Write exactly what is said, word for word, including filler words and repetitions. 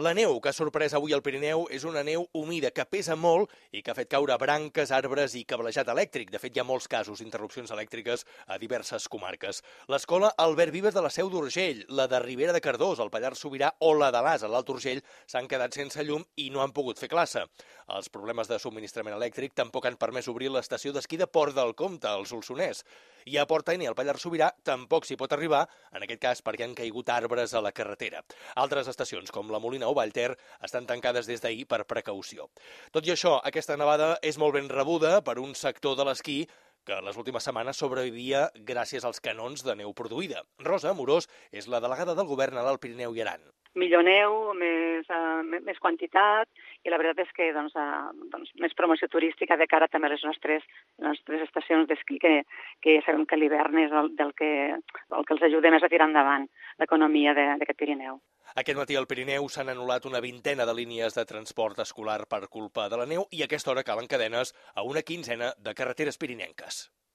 La neu que ha sorprès avui al Pirineu és una neu humida que pesa molt i que ha fet caure branques, arbres i cablejat elèctric. De fet, hi ha molts casos d'interrupcions elèctriques a diverses comarques. L'escola Albert Vives de la Seu d'Urgell, la de Ribera de Cardós, al Pallars Sobirà o la de l'As, a l'Alt Urgell, s'han quedat sense llum i no han pogut fer classe. Els problemes de subministrament elèctric tampoc han permès obrir l'estació d'esquí de Port del Comte, al Solsonès. I a Port Aine, al Pallars Sobirà, tampoc s'hi pot arribar, en aquest cas perquè han caigut arbres a la carretera. Altres estacions, com la Molina o Vallter, estan tancades des d'ahir per precaució. Tot i això, aquesta nevada és molt ben rebuda per un sector de l'esquí que les últimes setmanes sobrevivia gràcies als canons de neu produïda. Rosa Amorós és la delegada del govern a l'Alt Pirineu i Aran. Millor neu, més, uh, més quantitat, i la veritat és que doncs, uh, doncs, més promoció turística de cara també a les nostres, les nostres estacions d'esquí, que, que sabem que l'hivern és el, del que, el que els ajuda més a tirar endavant l'economia d'aquest Pirineu. Aquest matí al Pirineu s'han anul·lat una vintena de línies de transport escolar per culpa de la neu i a aquesta hora calen cadenes a una quinzena de carreteres pirinenques.